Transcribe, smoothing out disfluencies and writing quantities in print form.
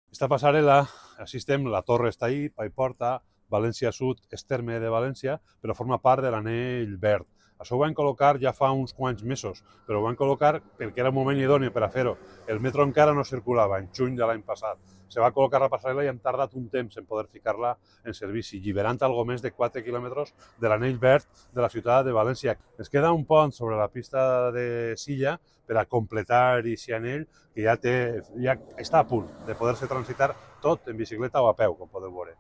Esta passarel·la, assistem, la torre està ahí, Paiporta, València Sud, Esterme de València, però forma part de l'anell verd. Això ho van col·locar ja fa uns quants mesos, però ho van col·locar perquè era un moment idoni per a fer-ho. El metro encara no circulava, en juny de l'any passat. Se va col·locar la passarel·la i hem tardat un temps en poder ficar-la en servici, alliberant algo més de 4 quilòmetres de l'anell verd de la ciutat de València. Ens queda un pont sobre la pista de Silla per a completar aquest anell que ja està a punt de poder-se transitar tot en bicicleta o a peu, com podeu veure.